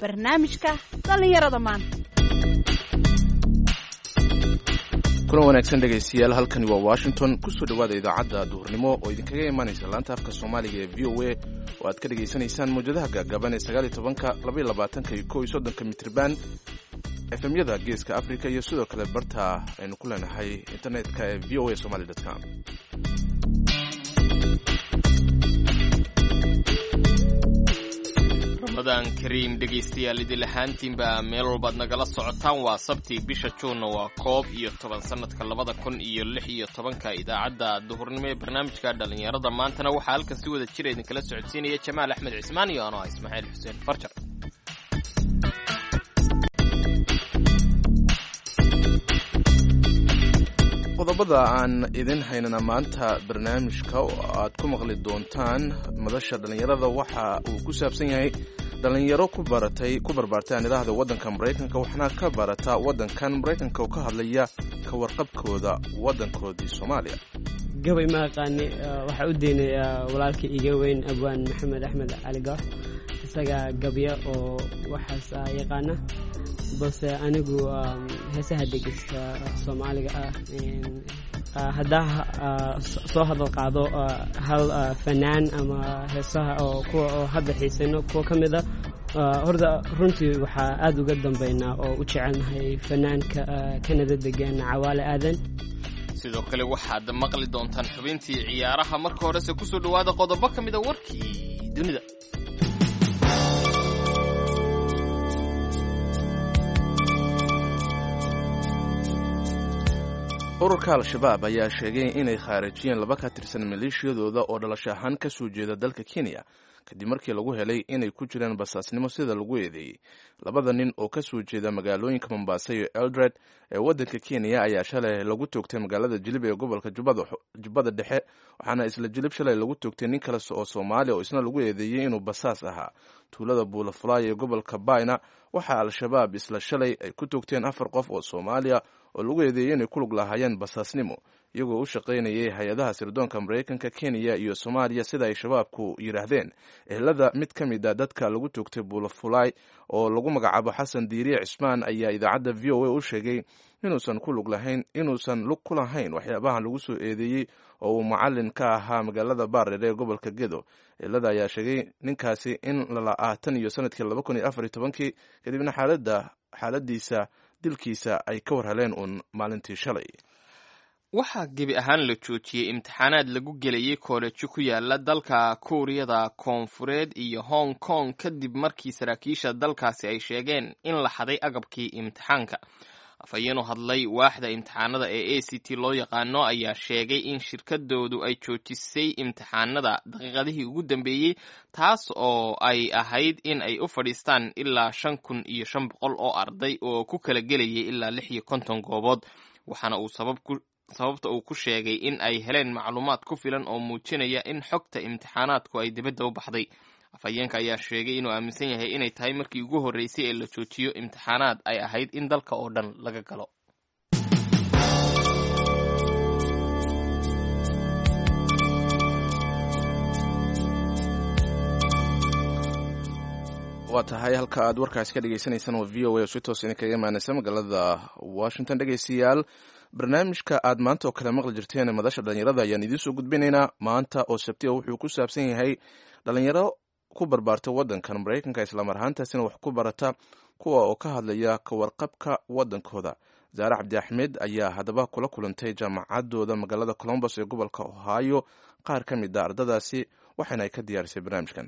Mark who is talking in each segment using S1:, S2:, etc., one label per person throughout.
S1: Barnaamijka dhallinyarada maanta.
S2: Kulan wanaagsan, dhegaystayaal. Halkani waa Washington. Kusoo dhowaada idaacadda duhurnimo oo idinkaga imanaysa laanta afka Soomaaliga ee VOA, oo aad ka dhegaysanaysaan mawjadaha gaagaaban ee 19-ka, 22-ka iyo 31-ka mitriban, FM-yada Geeska Africa iyo sidoo kale barta aynu ku leenahay internetka ee voa somali com.
S3: Ramadaan kariim, dhegaystayaal idil ahaantiinba meel walbaad nagala socotaan. Waa Sabti, bisha Juunna waa 11, sanadka 2016-ka. Idaacadda duhurnimo ee barnaamijka dhallinyarada maantana waxaa halkan si wada jira idinkala socodsiinaya Jamaal Axmed Cismaan iyo anoo ah Ismaaciil Xuseen Farjar.
S2: Qodobada aan idin haynana maanta barnaamijka oo aad ku maqli doontaan madasha dhallinyarada waxa uu ku saabsan yahay dhallinyaro ku baratay, ku barbaartay aan idhaahda, waddanka Maraykanka, waxna ka barata waddankan Maraykanka, oo ka hadlaya ka warqabkooda waddankoodii Soomaaliya.
S4: Gabay ma aqaani. Waxaa u deynayaa walaalka iga weyn, Abwaan Maxamed Axmed Cali Goox. Isagaa gabya oo waxaas yaqaana, balse anigu heesaha dhegeysta Soomaaliga ah. Haddaa soo hadal qaado hal fanaan ama heesaha oo kuwa oo hadda xiisayno, kuwa ka mid a horta runtii waxaa aada uga dambeynaa oo u jecelnahay fanaanka Kanada degan, Cawaale Aadan.
S3: Sidoo kale waxaad maqli doontaan xubintii ciyaaraha. Marka horese kusoo dhowaada qodobo ka mida warkii dunida.
S2: Ururka Al-Shabaab ayaa sheegay inay khaarijiyeen laba ka tirsan maleeshiyadooda oo dhalasho ahaan ka soo jeeda dalka Kenya, kadib markii lagu helay inay ku jiraan basaasnimo, sida lagu eedeeyey. Labada nin oo ka soo jeeda magaalooyinka Mombasa iyo Eldred ee waddanka Kenya ayaa shalay lagu toogtay magaalada Jilib ee gobolka Jubbada Dhexe, waxaana isla Jilib shalay lagu toogtay nin kale oo Soomaaliya oo isna lagu eedeeyey inuu basaas ahaa. Tuulada Buulafulaay ee gobolka Bayna waxaa Al-Shabaab isla shalay ay ku toogteen afar qof oo Soomaaliya oo lagu eedeeyey inay ku lug lahaayeen basaasnimo, iyagoo u shaqaynayay hay-adaha sirdoonka Maraykanka, Kenya iyo Soomaaliya, sida ay Shabaabku yidhaahdeen. Ehelada mid ka mid a dadka lagu toogtay Buulafulaay oo lagu magacaabo Xasan Diiriye Cismaan ayaa idaacadda VOA u sheegay inuusan ku lug lahayn, inuusan lug ku lahayn waxyaabahan lagu soo eedeeyey, oo uu macalin ka ahaa magaalada Baareer ee gobolka Gedo. Ehelada ayaa sheegay ninkaasi in lala'aa tan iyo sanadkii 2014-kii, kadibna xaaladda xaaladiisa dilkiisa ay ka war heleen uun maalintii shalay.
S3: Waxaa gebi ahaan la joojiyey imtixaanaad lagu gelayay koolejo ku yaala dalka Kuuriyada Koonfureed iyo Hong Kong, kadib markii saraakiisha dalkaasi ay sheegeen in la xaday agabkii imtixaanka. Afhayeenu hadlay waaxda imtixaanada ee ACT loo yaqaano ayaa sheegay in shirkadoodu ay joojisay imtixaanada daqiiqadihii ugu dambeeyey, taas oo ay ahayd in ay u fadhiistaan ilaa 5500 oo arday oo ku kala gelayay ilaa 56 goobood. Waxaana uu sababta uu ku sheegay in ay heleen macluumaad ku filan oo muujinaya in xogta imtixaanaadku ay dibadda u baxday. Afhayeenka ayaa sheegay inuu aaminsan yahay inay tahay markii ugu horreysay ee la joojiyo imtixaanaad ay ahayd in dalka oo dhan laga galo.
S2: Waa tahay. Halka aad warkaasi ka dhegeysanaysaan waa VOA oo si toos idinkaga imaanaysa magaalada Washington. Dhegeystayaal, barnaamijka aad maanta oo kale maqli jirteen, madasha dhallinyarada, ayaan idiin soo gudbinaynaa. Maanta oo Sabtiya wuxuu ku saabsan yahay dhalinyaro ku barbaarta waddankan Maraykanka, islamar ahaantaasina wax ku barata, kuwa oo ka hadlaya ka warqabka waddankooda. Zaare Cabdi Axmed ayaa haddaba kula kulantay jaamacadooda magaalada Colombos ee gobolka Ohio qaar ka mid a ardadaasi, waxaana ay ka diyaarisay barnaamijkan.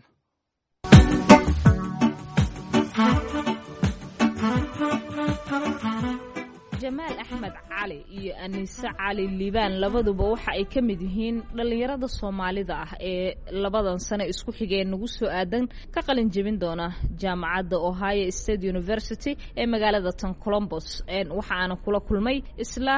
S1: Jamaal Axmed Cali iyo Aniise Cali Liibaan labaduba waxa ay ka mid yihiin dhallinyarada Soomaalida ah ee labadan sano isku xigeen nagu soo aadan ka qalin jebin doona jaamacadda Ohio State University ee magaalada tan Colombos. Waxa aana kula kulmay isla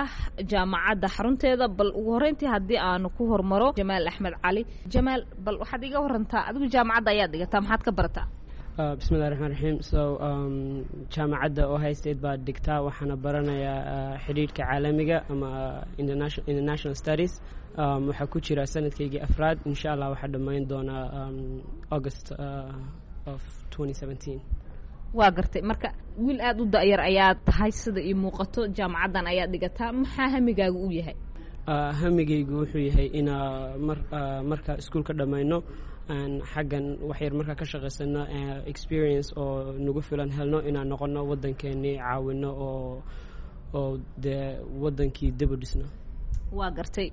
S1: jaamacadda xarunteeda. Bal ugu horreyntii haddii aanu ku hormaro Jamaal Axmed Cali. Jamaal, bal waxaad iga warantaa, adigu jaamacadda ayaad dhigataa, maxaad ka barataa?
S4: Bismillahi raxmaan raxiim. So jaamacadda Ohio State baa dhigtaa, waxaana baranayaa xidhiidhka caalamiga ama international studies. Waxaa ku jira sanadkaygii afraad. Insha Allah waxaa dhammayn doonaa August of 2017.
S1: Waa gartay. Marka wiil aada u da-yar ayaa tahay sida ii muuqato, jaamacaddan ayaa dhigataa. Maxaa hamigaaga u yahay?
S4: Hamigaygu wuxuu yahay inaa mar marka iskuulka dhammayno, aan xaggan waxyar markaa ka shaqaysano, experience oo nagu filan helno, inaan noqono waddankeenii caawino oo dee waddankii dib u dhisno.
S1: Waa gartay.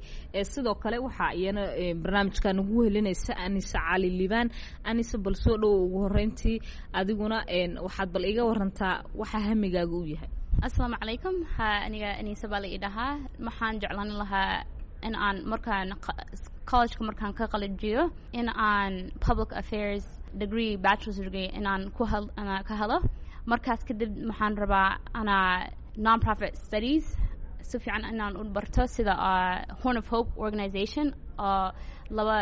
S1: Sidoo kale waxaa iyana barnaamijka nagu helinaysa Anise Cali Liibaan. Anise, bal soo dhowo ugu horeyntii. Adiguna waxaad bal iga warantaa waxaa hamigaaga u yahay.
S5: Asalaamu calaykum. Ha, aniga Anise baa la ii dhahaa. Waxaan jeclaan lahaa in aan markaan collegeka markaan ka qalajiyo in aan public affairs degree, bachelor's degree, in aan ku ka helo. Markaas kadib waxaan rabaa anaa non-profit studies si fiican inaan u barto, sida Horn of Hope organization oo laba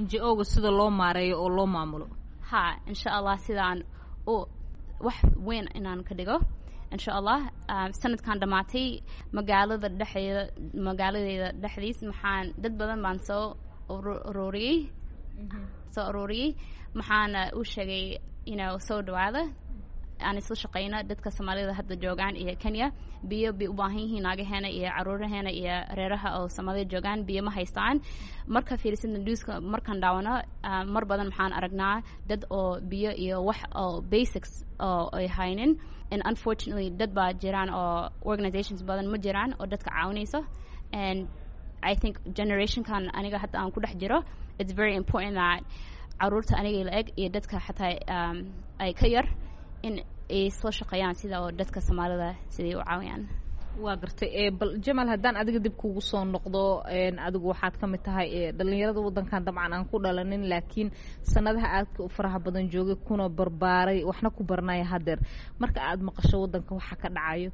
S1: NGO-ga sida loo maareeyo oo loo maamulo.
S5: Ha, insha Allah, sidaan u wax weyn inaan ka dhigo, insha Allah. Sanadkan dhammaatay magaalada dhexdeeda, magaaladeeda dhexdiis, maxaan dad badan baan soo ururiyey. Maxaana u sheegay soo dhawaada, aan isla shaqeyno. Dadka Soomaalida hadda joogaan iyo Kenya biyo bay u baahan yihiin. Naagaheena iyo caruuraheena iyo reeraha oo Soomaalida joogaan biyo ma haystaan. Marka fiirisidna newska markaan daawano, mar badan maxaan aragnaa dad oo biyo iyo wax oo basics oo ay haynin. And unfortunately dad baa jiraan oo organizations badan ma jiraan oo dadka caawinayso. And I think generationkan aniga hadda aan ku dhex jiro, it's very important that caruurta aniga la eg iyo dadka xataa ay ka yar in ay soo shaqeeyaan sida oo dadka Soomaalida siday u caawiyaan.
S1: Waa gartay. Bal Jamal, haddaan adiga dib kugu soo noqdo, adigu waxaad ka mid tahay dhalinyarada waddankan dabcan aan ku dhalanin, laakiin sanadaha aadka u faraha badan joogay, kuna barbaaray, waxna ku baranaya haddeer. Marka aad maqasho waddanka waxa ka dhacayo,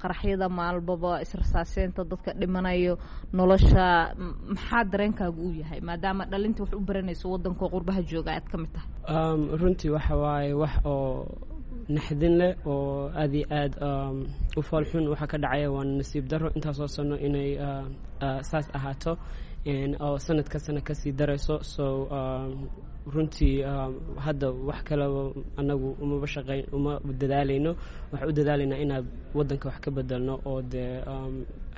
S1: qaraxyada maalbaba, israsaaseynta, dadka dhimanayo, nolosha, maxaa dareenkaagu u yahay, maadaama dhalinta wax u baranayso waddanka qurbaha jooga aad ka mid tahay?
S4: Runtii waxa waaye wax oo naxdin leh oo aad iyo aad u foolxun waxa ka dhacaya. Waa nasiib daro intaasoo sano inay saas ahaato oo sanad ka sano kasii darayso. So runtii hadda wax kaleba anagu umaba shaqeyn, uma dadaalayno. Waxaan u dadaalaynaa inaan waddanka wax ka bedelno oo dee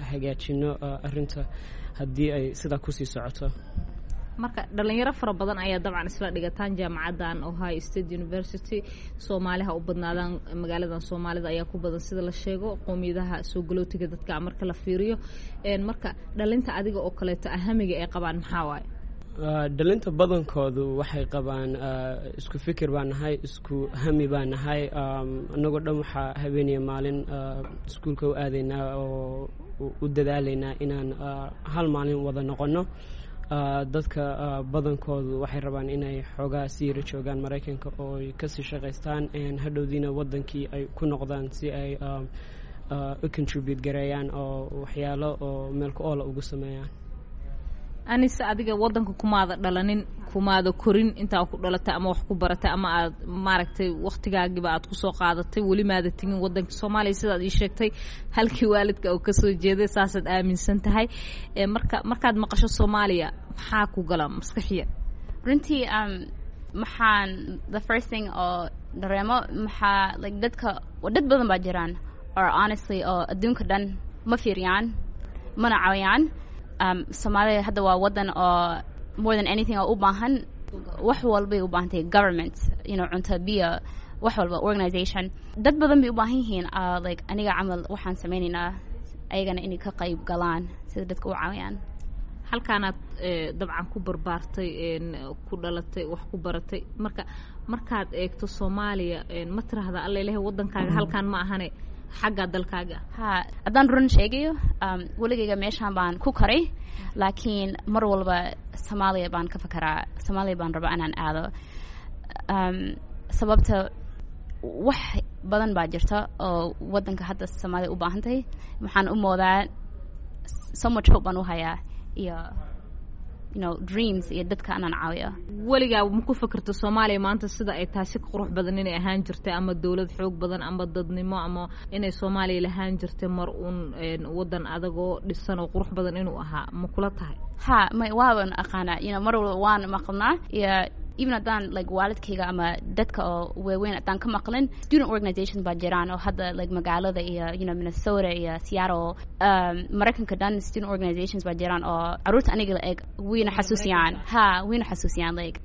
S4: hagaajino arrinta haddii ay sidaa kusii socoto.
S1: Marka dhalinyaro fara badan ayaa dabcan isla dhigataan jaamacaddan Ohio State University. Soomaaliha u badnaadaan, magaaladan Soomaalida ayaa ku badan sida la sheego, qoomiyadaha soo galootiga dadka marka la fiiriyo. Marka dhalinta adiga oo kaleeto ahamiga ay qabaan maxaa waaye?
S4: Dhalinta badankoodu waxay qabaan isku fikir baan nahay, isku hami baan nahay. Annagoo dhan waxaa habeeniya maalin iskuulka u aadaynaa oo u dadaalaynaa inaan hal maalin wada noqono. Dadka badankoodu waxay rabaan inay xoogaa sii yara joogaan Maraykanka oo ay kasii shaqaystaan, hadhowdiina waddankii ay ku noqdaan si ay u contribute gareeyaan oo waxyaalo oo meel ku oola ugu sameeyaan.
S1: Anise, adiga waddanka kumaada dhalanin, kumaada korin. Intaa ku dhalatay ama wax ku baratay ama aad maaragtay waktigaagiba aad kusoo qaadatay, weli maada tegin waddanka Soomaaliya sidaad ii sheegtay, halkii waalidka oo kasoo jeeday saasaad aaminsan tahay. Marka markaad maqasho Soomaaliya, maxaa ku gala maskaxiya?
S5: Runtii maxaan the first thing oo dareemo maxaa like dadka, dad badan baa jiraan or honestly oo adduunka dhan ma fiiriyaan mana caawiyaan. Soomaaliya hadda waa waddan oo more than anything oo u baahan wax walbay u baahan tahay government, cunto, biyo, wax walba, organization. Dad badan bay u baahan yihiin. Like aniga camal waxaan sameynaynaa ayagana inay ka qayb galaan sida dadka u caawiyaan.
S1: Halkaanaad dabcan ku barbaartay, ku dhalatay, wax ku baratay. Marka markaad eegto Soomaaliya, ma tiraahda alla ilahay waddankaaga halkaan ma ahane, xagga dalkaaga?
S5: Ha, haddaan run sheegayo, weligayga meeshaan baan ku koray, laakiin mar walba Soomaaliya baan ka fakaraa. Soomaaliya baan rabaa inaan aado. Sababta wax badan baa jirta oo waddanka hadda Soomaaliya u baahan tahay. Waxaan u moodaa so much hope baan u hayaa iyo dreams iyo dadka inaan caawiyo.
S1: Weligaa ma ku fikirto Soomaaliya maanta sida ay tahay si ka qurux badan inay ahaan jirtay, ama dowlad xoog badan, ama dadnimo, ama inay Soomaaliya lahaan jirtay mar uun waddan adagoo dhisan oo qurux badan inuu ahaa? Ma kula tahay?
S5: Ha, may, waaban aqaanaa. Mar walba waan maqalnaa iyo Even haddaan like waalidkayga ama dadka oo waaweyn haddaan ka maqlin, student organizations baa jiraan oo hadda like magaalada iyo Minnesota iyo Seattle, Maraykanka dhan student organizations baa jiraan oo caruurta aniga la eg wayna xasuusiyaan, ha, wayna xasuusiyaan, like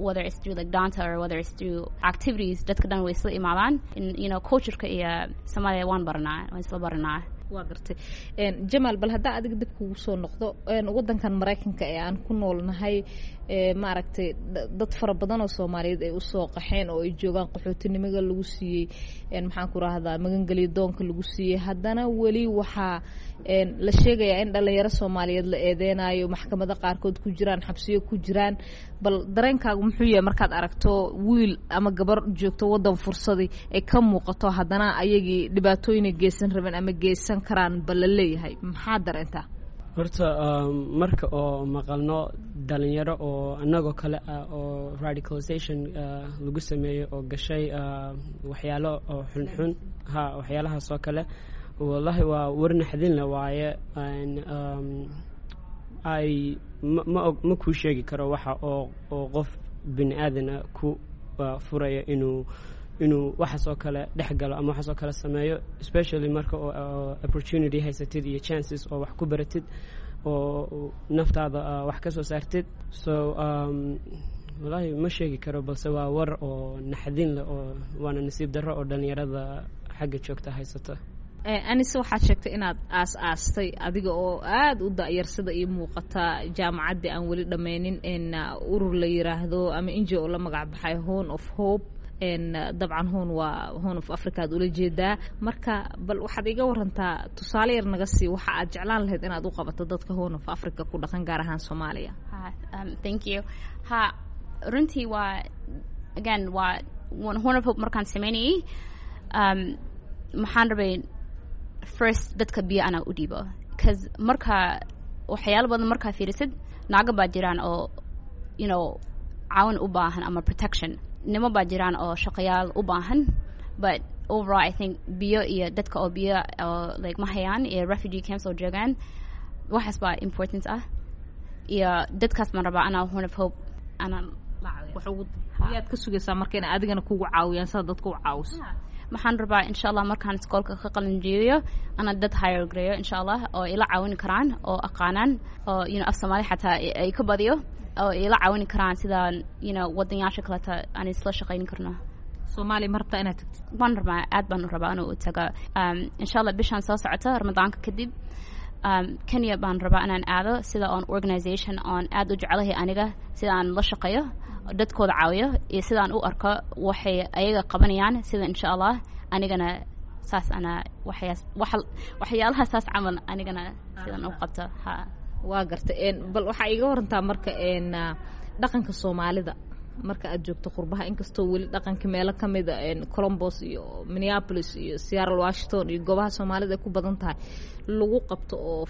S5: whether it's through like danta or whether it's through activities, dadka dhan way isla imaadaan in cultureka iyo Soomaaliya waan baranaa, waan isla baranaa.
S1: Waa gartay. Jamaal, bal haddaa adiga dib kugu soo noqdo, wadankan Maraykanka ee aan ku noolnahay, maaragtay, dad fara badan oo Soomaaliyeed ay usoo qaxeen oo ay joogaan, qaxootinimada lagu siiyey, maxaan ku rahdaa, magangelyo doonka lagu siiyey, haddana weli waxaa la sheegayaa in dhalinyaro Soomaaliyeed la eedeynayo, maxkamado qaarkood ku jiraan, xabsiyo ku jiraan. Bal dareenkaagu muxuu yahay markaad aragto wiil ama gabar joogto wadan fursadii ay ka muuqato, haddana ayagii dhibaatooyinay geysan rabeen ama geysan karaan ba la leeyahay? Maxaa dareentaa?
S4: Horta marka oo maqalno dhalinyaro oo annagoo kale ah oo radicalization lagu sameeyo oo gashay waxyaalo oo xunxun, ha, waxyaalahaas oo kale, wallahi waa war naxdinle waaye. Ay ma og, ma kuu sheegi karo waxa oo qof bini aadana ku furaya inuu waxaas oo kale dhex galo ama waxaas oo kale sameeyo, especially marka oo opportunity haysatid iyo chances oo wax ku baratid oo naftaada wax ka soo saartid. So wallahi ma sheegi karo, balse waa war oo naxdin leh oo waana nasiib darro oo dhalinyarada xagga joogta haysata.
S1: Anise, waxaad sheegtay inaad aas aastay adiga oo aada u da-yar, sida ii muuqata jaamacaddii aan weli dhammaynin, urur la yiraahdo ama NGO la magac baxay Horn of Hope. Dabcan Horn waa Horn of Africa aad ula jeedaa. Marka bal waxaad iga warantaa, tusaale yar naga sii waxa aad jeclaan lahayd inaad u qabato dadka Horn of Africa ku dhaqan, gaar ahaan Soomaaliya.
S5: Thank you. Ha, runtii waa again waa Horn of Hope markaan sameynayay, maxaan rabay first dadka biyo anaa u dhiibo, cause marka waxyaalo badan markaa fiirisid, naago baa jiraan oo caawin u baahan ama protection, nimo baa jiraan oo shaqayaal u baahan, but overall I think biyo iyo dadka oo biyo oo like ma hayaan iyo refugee camps oo joogaan, waxaas baa important ah iyo dadkaas baan rabaa anaa Horn of Hope anaa la caawiyo.
S1: Yaad ka sugaysaa marka inay adigana kugu caawiyaan sida dadka u caawiso?
S5: Maxaan rabaa, insha Allah, markaan iskoolka ka qalin jeediyo ana dad hire gareeyo, insha Allah, oo ila caawin karaan oo aqaanaan oo af Soomaali xataa ay ka badiyo oo ila caawin karaan sidaan wadanyaasha kaleta aan isla shaqayn karno.
S1: Soomaaliya ma rabtaa inaad tagtid?
S5: Waan rabaa, aad baan u rabaa inuu u tago, insha Allah, bishaan soo socota Ramadaanka kadib. Kenya baan rabaa inaan aado sida oon organization oon aad u jecelahay aniga sida aan la shaqeeyo, dadkooda caawiyo iyo sidaan u arko waxay ayaga qabanayaan, sida insha Allah anigana saas ana waxyaalaha saas camal anigana sidan u qabto, ha.
S1: Waa gartay. Bal waxaa iiga warantaa marka dhaqanka Soomaalida marka aad joogto qurbaha, inkastoo weli dhaqanka meelo ka mida Columbus iyo Minneapolis iyo Seattle, Washington iyo goobaha Soomaalida ay ku badan tahay lagu qabto oo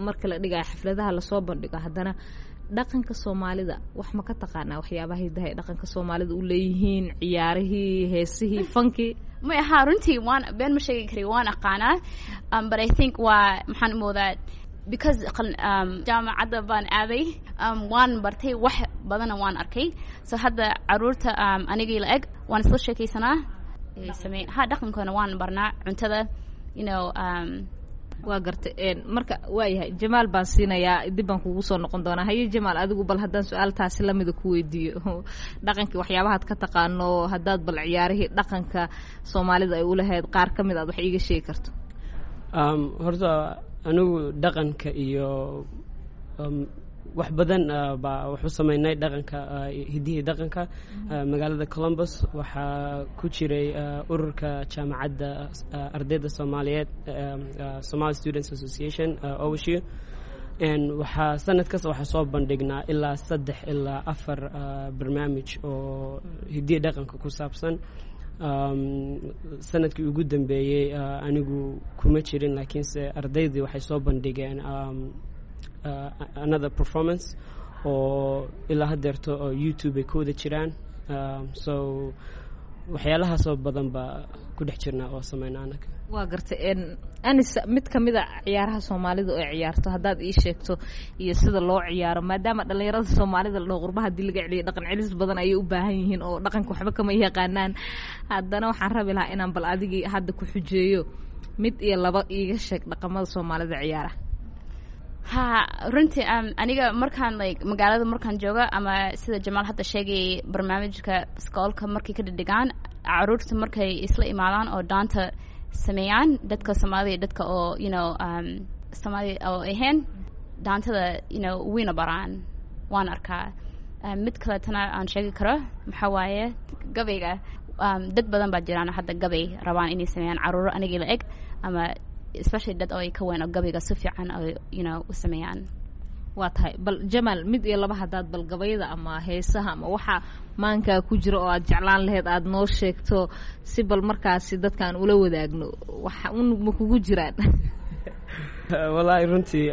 S1: marka la dhigayo xafladaha lasoo bandhigo, haddana dhaqanka Soomaalida wax ma ka taqaanaa, waxyaabaha hidaha ay dhaqanka Soomaalida u leeyihiin, ciyaarihii, heesihii, fankii?
S5: May ahaa, runtii waan been ma sheegi kari, waan aqaanaa, but I think waa maxaan umoodaa because jaamacadda baan aaday, waan bartay wax badana, waan arkay. So hadda caruurta anigii la eg waan isla sheekaysanaa, samey, ha, dhaqankoona waan barnaa, cuntada.
S1: Waa gartay. Marka waayahay, Jamaal baan siinayaa, dib baan kugu soo noqon doonaa. Haye Jamaal, adigu bal haddaan su-aal taasi lamida ku weydiiyo, dhaqankii waxyaabahaad ka taqaano, haddaad bal ciyaarihii dhaqanka Soomaalida ay ulahayd qaar ka mid aad wax iiga sheegi karto?
S4: Horta anigu dhaqanka iyo wax badan baa wax u sameynay dhaqanka, hiddihii dhaqanka. Magaalada Columbus waxaa ku jiray ururka jaamacadda ardayda Soomaaliyeed, Somali Students Association, OSU. Waxaa sanad kasta waxaa soo bandhignaa ilaa saddex ilaa afar barnaamij oo hiddihii dhaqanka ku saabsan. Sanadkii ugu dambeeyey anigu kuma jirin, laakiinse ardaydii waxay soo bandhigeen another performance oo ilaa haddeerto oo YouTube ay ku wada jiraan. So waxyaalahaasoo badan baa ku dhex jirnaa oo sameyna anaga.
S1: Waa gartay. Anis, mid ka mid a ciyaaraha Soomaalida oo ciyaarto haddaad ii sheegto iyo sida loo ciyaaro, maadaama dhalinyarada Soomaalida la dhaho qurbaha hadii laga celiyo dhaqan celis badan ayay u baahan yihiin oo dhaqanka waxba kama yaqaanaan, haddana waxaan rabi lahaa inaan bal adigii hadda ku xujeeyo, mid iyo laba iiga sheeg dhaqamada Soomaalida ciyaara.
S5: Ha, runtii aniga markaan like magaalada markaan jooga ama sida Jamaal hadda sheegayay, barnaamijka iskoolka markay ka dhidhigaan, caruurta markay isla imaadaan oo dhaanta sameeyaan, dadka Soomaalida, dadka oo Soomaali oo ahayn, dhaantada wayna baraan, waan arkaa. Mid kaletana aan sheegi karo maxaa waaye gabayga. Dad badan baa jiraan hadda gabay rabaan inay sameeyaan, caruuro anigii la eg ama especially dad oo ay ka weyn oo gabayga si fiican oo u sameeyaan.
S1: Waa tahay. Bal Jamaal, mid iyo laba haddaad bal gabayada ama heesaha ama waxa maankaa ku jira oo aad jeclaan lahayd aada noo sheegto, si bal markaasi dadkaan ula wadaagno, waxa un ma kugu jiraan?
S4: Wallaahi runtii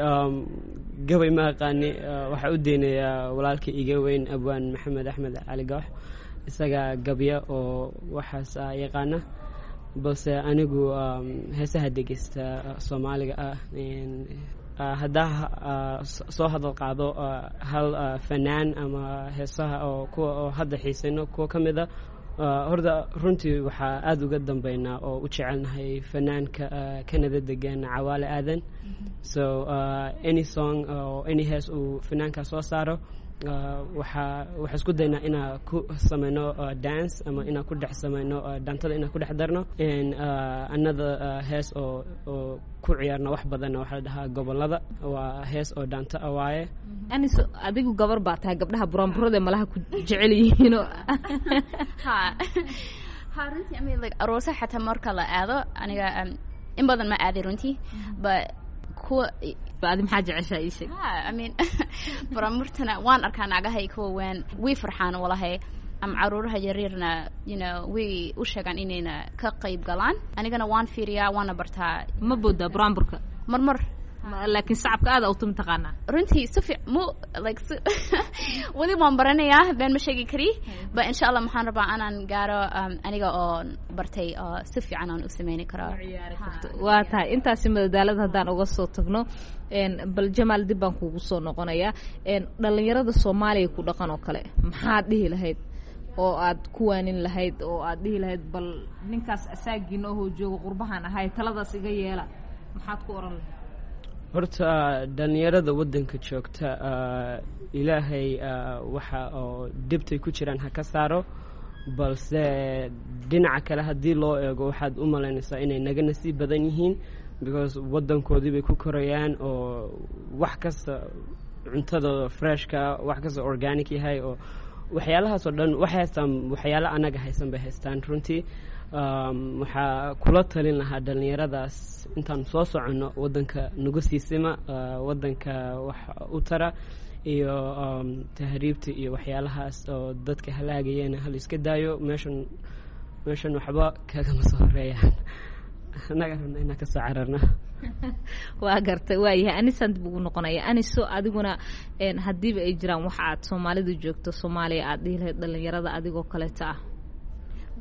S4: gabay ma aqaani. Waxaa u deynayaa walaalka iga weyn, abwaan Maxamed Axmed Cali Goox. Isaga gabya oo waxaas yaqaana, balse anigu heesaha dhegeysta Soomaaliga ah. Haddaa soo hadal qaado hal fanaan ama heesaha oo kuwa oo hadda xiisayno kuwa ka mid a, horta runtii waxaa aada uga dambeynaa oo u jecelnahay fanaanka Canada degan, Cawaale Aadan. So any song oo any hees uu fanaanka soo saaro, waxaa isku daynaa inaa ku sameyno dance ama inaa ku dhex sameyno dhaantada, inaa ku dhex darno. Another hees oo ku ciyaarno wax badanna waxaa la dhahaa Gobolada, waa hees oo dhaanto ah waaye.
S1: Anis, adigu gabar baa tahay, gabdhaha buraanburada malaha ku jecel yihiino.
S5: Ha, runtii I mean like aroosa xataa marka la aado, aniga in badan ma aaday runtii, but kuwa
S1: adi maxaa jeceshaa, ii sheeg?
S5: Ha, I mean buraanburtana waan arkaa, naagahay kuwa weyn way farxaan walahay, ama caruuraha yaryarna way u sheegaan inayna ka qayb galaan. Anigana waan fiiriyaa, waana bartaa.
S1: Ma boodaa buraanburka?
S5: Mar mar.
S1: Laakiin sacabka aada utumi taqaanaa?
S5: Runtii si fiic mu like si weli waan baranayaa, been ma sheegi kari, but insha Allah maxaan rabaa inaan gaaro aniga oo bartay oo si fiican aan u sameyni karo.
S1: Waa tahay. Intaasi madadaalada haddaan uga soo tagno, bal Jamaal, dib baan kugu soo noqonayaa. Dhalinyarada Soomaaliya ku dhaqan oo kale maxaad dhihi lahayd oo aad ku waanin lahayd oo aad dhihi lahayd, bal ninkaas asaagiina ohoo jooga qurbahan ahay taladaas iga yeela, maxaad ku oran lahayd?
S4: Horta dhalinyarada waddanka joogta, Ilaahay waxa oo dhibtay ku jiraan ha ka saaro, balse dhinaca kale haddii loo eego, waxaad u malaynaysaa inay naga nasiib badan yihiin, because waddankoodii bay ku korayaan oo wax kasta cuntadooda freshka, wax kasta organic yahay oo waxyaalahaas oo dhan waxay haystaan, waxyaalo anaga haysan bay haystaan. Runtii waxaa kula talin lahaa dhalinyaradaas, intaan soo soconno waddanka nagu siisima, waddanka wax u tara iyo tahriibta iyo waxyaalahaas oo dadka halaagayana hal iska daayo. Meeshan waxba kagama soo horeeyaan, annaga rabna inaan kasoo cararna.
S1: Waa gartay, waayahay. Anisaan dib ugu noqonaya. Aniso, adiguna haddiiba ay jiraan waxa aad Soomaalida joogto Soomaaliya aad dhihi lahayd dhalinyarada adigoo kaleeta ah?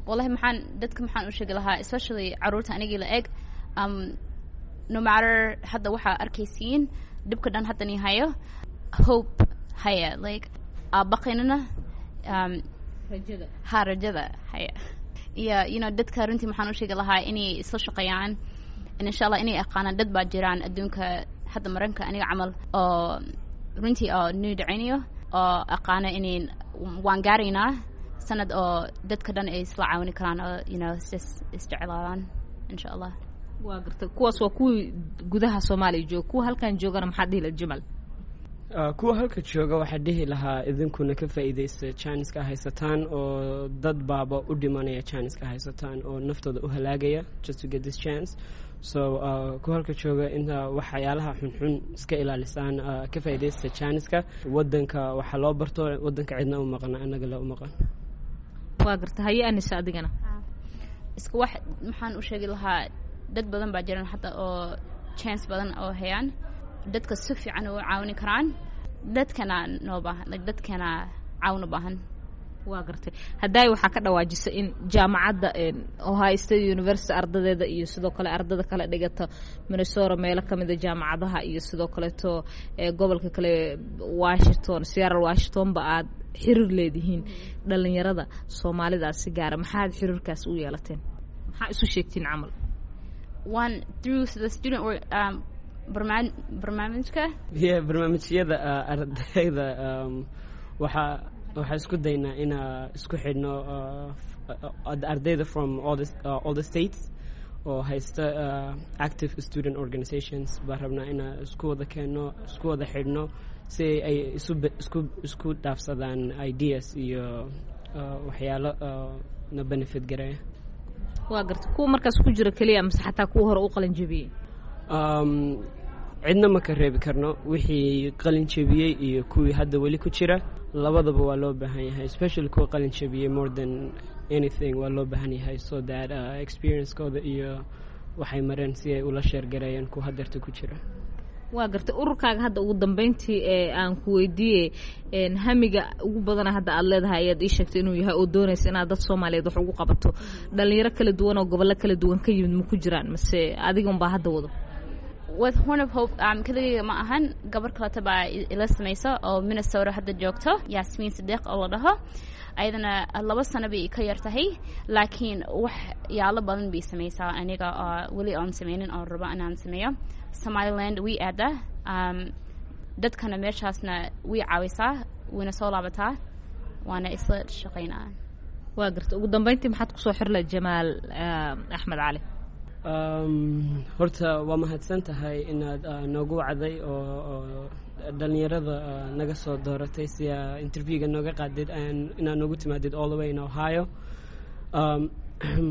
S5: Wallahi maxaan dadka maxaan u sheegi lahaa, especially caruurta anigii la eg, no matter hadda waxaa arkaysiin dhibka dhan haddan hayo, hope haya, like aabaqaynana
S1: rajada.
S5: Ha, rajada haya. Iyo dadka runtii maxaan u sheegi lahaa inay isla shaqeeyaan, insha Allah inay aqaanaan dad baa jiraan adduunka hadda Maranka aniga camal oo runtii oo nuu dhacaynayo oo aqaana inay waan gaaraynaa sanad oo dadka dhan ay isla caawini karaan oo is isjeclaadaan insha Allah.
S1: Waa gartay. Kuwaas waa kuwii gudaha Soomaaliya jooga. Kuwa halkan joogana maxaad dhihi lahayd, Jamal?
S4: Kuwa halka jooga waxaa dhihi lahaa, idinkuna ka faa'iidaysta janiska haysataan, oo dad baaba u dhimanaya janiska haysataan oo naftooda u halaagaya just to get this chance. So kuwa halka jooga, inta waxyaalaha xunxun iska ilaalisaan, ka faa'iidaysta janiska. Waddanka waxaa loo barto, waddanka cidna u maqana, annaga la u maqan.
S1: Waa garta. Haye Anisa, adigana?
S5: Iska wax maxaan u sheegi lahaa, dad badan baa jiran hadda oo chance badan oo hayaan, dadka si fiican u caawini karaan, dadkana noo baahan, like dadkana caawin u baahan.
S1: Waa gartay. Haddaay waxaa ka dhawaajisa in jaamacadda Ohio State University ardadeeda iyo sidoo kale ardada kale dhigata Minnesota meelo kamida jaamacadaha iyo sidoo kaleeto gobolka kale Washington, Seattle, Washington ba aad xiriir leedihiin dhalinyarada Soomaalidaas si gaara. Maxaad xiriirkaas u yeelateen? Maxaa isu sheegtiin camal?
S5: One through the student work barnaamijka.
S4: Yeah, barnaamijyada ardayda waxaa isku daynaa inaa isku xidhno ardayda from all the states oo haysta active student organizations. Baan rabnaa inaa isku wada keenno, isku wada xidhno, si ay isku dhaafsadaan ideas iyo waxyaalo na benefit gareeya.
S1: Waa garta. Kuwa markaas ku jira keliya mase xataa kuwa hore u qalin jebiyey?
S4: Cidna ma ka reebi karno. Wixii qalin jebiyey iyo kuwii hadda weli ku jira labadaba waa loo baahan yahay, especially kuwa qalin jebiyey more than anything waa loo baahan yahay, so that experiencekooda iyo waxay mareen si ay ula share gareeyaan kuwa hadeerta ku jira.
S1: Waa gartay. Ururkaaga hadda ugu dambeyntii ee aan ku weydiiyey, hamiga ugu badana hadda aada leedahay ayaad ii sheegtay inuu yahay oo doonaysa inaad dad Soomaaliyeed wax ugu qabato. Dhalinyaro kala duwan oo gobollo kala duwan ka yimid ma ku jiraan mase adiga unbaa hadda wado?
S5: With Horn of Hope keligayga ma ahan. Gabar kaleta baa ila samayso oo Minnesota hadda joogto, Yasmiin Sadiiq oo la dhaho. Ayadana 2 sano bay ka yar tahay, laakiin wax yaalo badan bay samaysaa aniga oo weli oon sameynin oon rabo inaan sameeyo. Somaliland way aadaa, dadkana meeshaasna way caawisaa, wayna soo laabataa, waana isla shaqaynaa.
S1: Waa garta. Ugu dambeyntii maxaad kusoo xirla, Jamaal Axmed Cali?
S4: Horta waa mahadsan tahay inaad noogu wacday oo dhalinyarada naga soo dooratay si interviewga nooga qaadid, inaad noogu timaadid all the way in Ohio.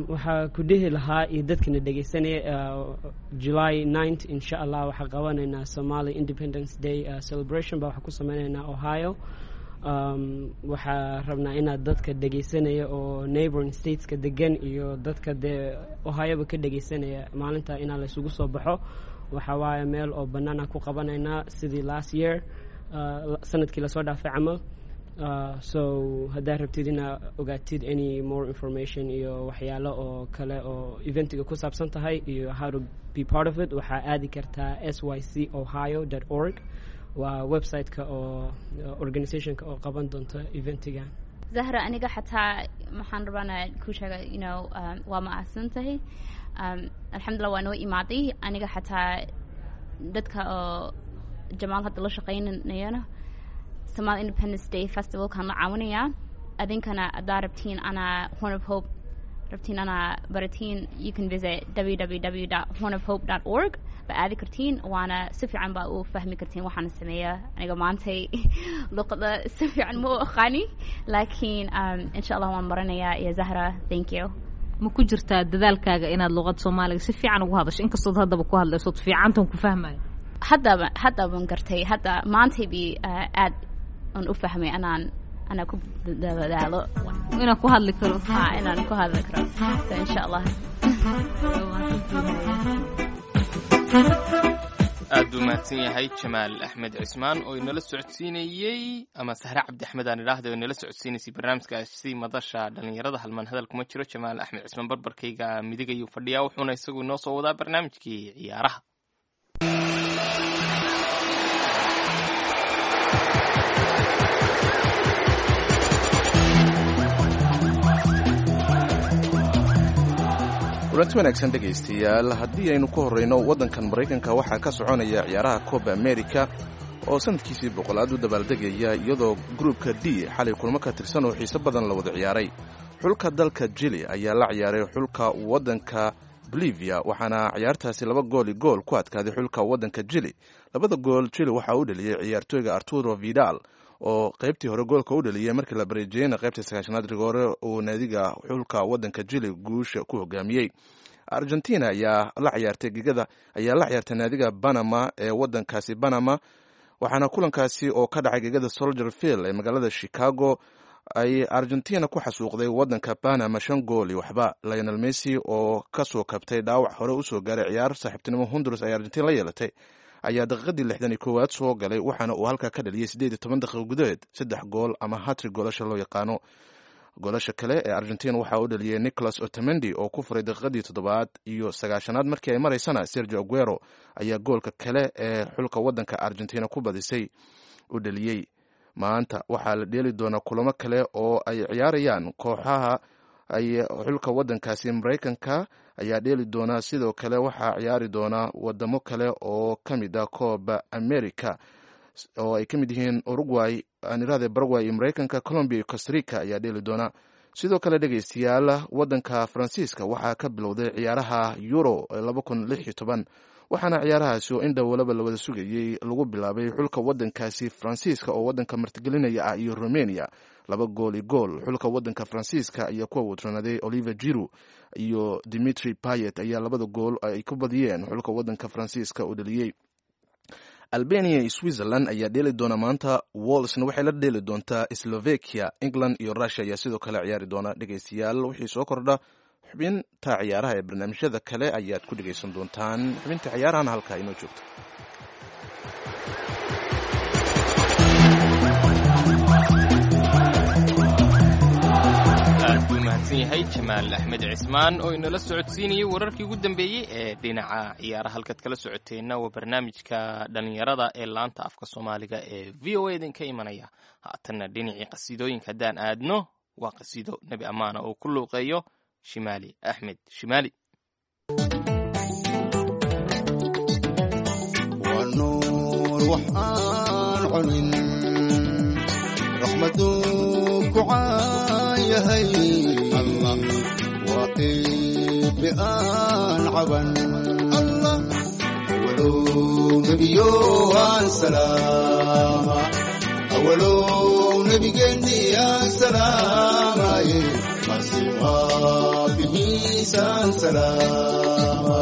S4: Waxaa ku dhihi lahaa iyo dadkana dhegeysanaya, July 9th insha Allah waxaa qabanaynaa Somali Independence Day celebration ba waxaa ku sameynaynaa Ohio. Waxaa rabnaa inaad dadka dhegeysanaya oo neighboring stateska degan iyo dadka dee Ohioba ka dhegeysanaya maalinta inaa laysugu soo baxo. Waxa waaye meel oo banaana ku qabanaynaa sidii last year, sanadkii lasoo dhaafay camal. So haddaad rabtid inaa ogaatid any more information iyo waxyaalo oo kale oo eventiga ku saabsan tahay iyo how to be part of it, waxaa aadi kartaa sycohio.org. Waa website-ka oo organizationka oo qaban doonto eventigan.
S5: Zahra, aniga xataa maxaan rabaana ku sheega, waa mahadsan tahay. Alxamdulillah waa noo imaaday. Aniga xataa dadka oo Jamaal hadda la shaqaynayana Somali Independence Day Festival kan la caawinayaa. Adinkana haddaa rabtiin anaa Horn of Hope rabtiin anaa baratiin, you can visit www.hornofhope.org ba aadi kartiin, waana si fiican baa u fahmi kartiin waxaana sameeya. Aniga maantay luqada si fiican ma u aqaani, laakiin insha Allah waan baranayaa. Iyo Zahra, thank you.
S1: Ma ku jirtaa dadaalkaaga inaad luqad Soomaaliga si fiican ugu hadasho, inkastood haddaba ku hadlaysood fiicantan ku fahmayo?
S5: Haddaba hadda baan gartay. Hadda maantay bi aad aan u fahmay anaan anaa ku dadaalo
S1: inaan ku hadli karo.
S5: Ha, inaan ku hadli karo. So insha Allah.
S3: Aad buu mahadsan yahay Jamaal Axmed Cismaan oo inala socodsiinayey, ama Sahre Cabdi Axmed aan idhaahda, oo inala socodsiinaysay barnaamijkaasi madasha dhalinyarada. Halmaan hadal kuma jiro, Jamaal Axmed Cismaan barbarkayga midig ayuu fadhiyaa, wuxuuna isagu inoo soo wadaa barnaamijkii ciyaaraha.
S2: Kulanti wanaagsan dhegaystayaal. Haddii aynu ku horrayno waddankan Maraykanka, waxaa ka soconaya ciyaaraha Coba America oo sanadkiisii 100aad u dabaaldegaya, iyadoo gruubka D xalay kulmo ka tirsan oo xiiso badan la wada ciyaaray. Xulka dalka Jili ayaa la ciyaaray xulka waddanka Bolivia, waxaana ciyaartaasi 2 gool iyo gool ku adkaaday xulka waddanka Jili. Labada gool Jili waxaa u dheliyey ciyaartooyga Arturo Vidal oo qaybtii hore goolka u dhaliyey, markii la bareejiyeyna qaybtii 90aad rigoore uu naadiga xulka waddanka Jili guusha ku hogaamiyey. Argentina ayaa la ciyaartay gigada ayaa la ciyaartay naadiga Panama ee waddankaasi Panama, waxaana kulankaasi oo ka dhacay gegada Soldier Field ee magaalada Chicago ay Argentina ku xasuuqday waddanka Panama 5 gool iyo waxba. Lionel Messi oo kasoo kabtay dhaawac hore usoo gaaray ciyaar saaxiibtinimo Honduras ay Argentina la yeelatay ayaa daqiiqadii 61aad soo galay, waxaana uu halkaa ka dhaliyey 18 daqiiqo gudaheed saddex gool ama hat-trick goolasha loo yaqaano. Goolasha kale ee Argentina waxaa u dhaliyey Nicolas Otamendi oo ku furay daqiiqadii 7aad iyo 9aad markii ay maraysana Sergio Aguero ayaa goolka kale ee xulka waddanka Argentina ku badisay u dhaliyey. Maanta waxaa la dheeli doonaa kulamo kale oo ay ciyaarayaan kooxaha ay xulka waddankaasi Maraykanka ayaa dheeli doonaa. Sidoo kale waxaa ciyaari doonaa wadamo kale oo ka mid ah Kooba America oo ay ka mid yihiin Uruguay, anirahde Paraguay iyo Maraykanka, Colombia iyo Costarica ayaa dheeli doona. Sidoo kale dhegeystayaal, waddanka Faransiiska waxaa ka bilowday ciyaaraha Euro 2016, waxaana ciyaarahaasi oo indhowalaba la wada sugayey lagu bilaabay xulka waddankaasi Faransiiska oo waddanka martigelinaya ah iyo Romania 2-1. Xulka waddanka Faransiiska ayaa kuwa wadranaaday Oliver Giroud iyo Dimitri Payet ayaa labada gool ay ku badiyeen xulka waddanka Faransiiska u dhaliyey. Albania iyo Switzerland ayaa dheeli doona maanta. Walsna waxay la dheeli doontaa Slovakia. England iyo Russia ayaa sidoo kale ciyaari doona. Dhegeystayaal, wixii soo kordha xubinta ciyaaraha ee barnaamijyada kale ayaad ku dhegeysan doontaan. Xubinta ciyaarahana halkaa inoo joogto.
S3: Aad buu mahadsan yahay Jamaal Axmed Cismaan oo inala socodsiinayay wararkii ugu dambeeyey ee dhinaca ciyaaraha. Halkaad kala socoteenna waa barnaamijka dhallinyarada ee laanta afka Soomaaliga ee VOA idinka imanaya. Haatanna dhinacii qasiidooyinka haddaan aadno, waa qasiido Nebi Ammaana oo ku luuqeeyo Shimaali Axmed Shimaali.
S6: Nuur waxaan cunin raxmaduu ku caayahay Allah, waa eebbe aan caban Allah, awalow nebiyo aan salaama, awalow nebigeenni aan salaamaye, masiiqaabihiisaan salaama.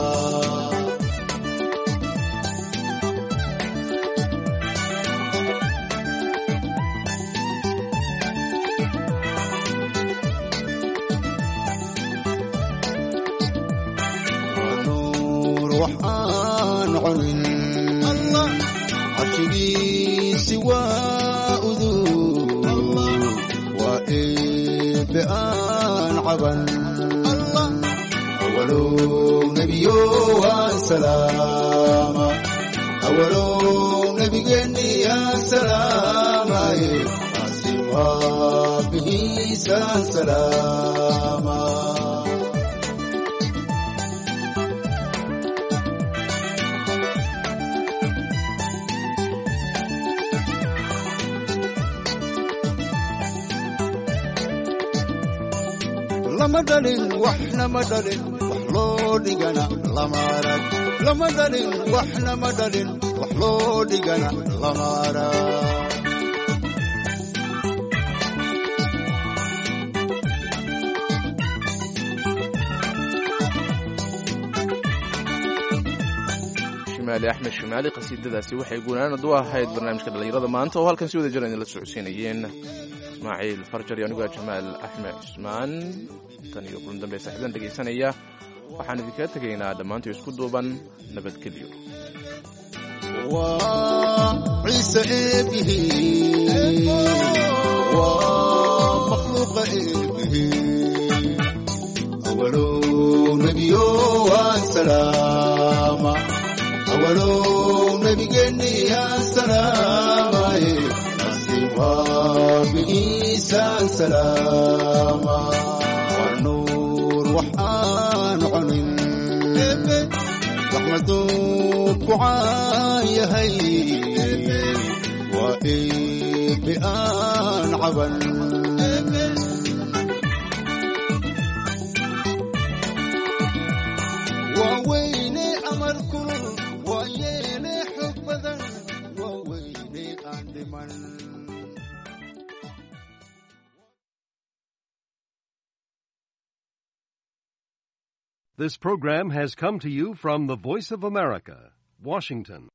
S6: Nuur waxaan cunin Allah, carshigiisi waa udug, waa eebbe aan caban Allah, awalow nebiyo aan salaama, awalow nebigeenni aan salaamaye, asiwaabihiisaan salaama. Lama dhalin, waxna ma dhalin, wax loo dhigana lama arag. Lama dhalin, waxna ma dhalin, wax loo dhigana lama arag.
S2: Shimaali Axmed Shimaali, qasiidadaasi waxay guunaanad u ahayd barnaamijka dhallinyarada maanta oo halkan si wada jira idinla socodsiinayeen Ismaaciil Farjar iyo aniguaa Jamaal Axmed Cusmaan. Tan iyo kulan dambe saaxiibadan dhegaysanaya, waxaan idinkaga tegaynaa dhammaantii isku duuban nabadgelyo.
S6: Waa Ciise eebihi, waa makhluuqa eebihi, awalow nebiyo waan salaama, awalow nebigeenni aan salaamaye, asiwaabihiisaan salaama. Waa nuur waxaan cunin raxmaduu ku caayahay, waa eebbe aan caban. Waa weyne amar kulul, waa yeele xog badan, waa weyne aan dhiman.
S7: This program has come to you from the Voice of America, Washington.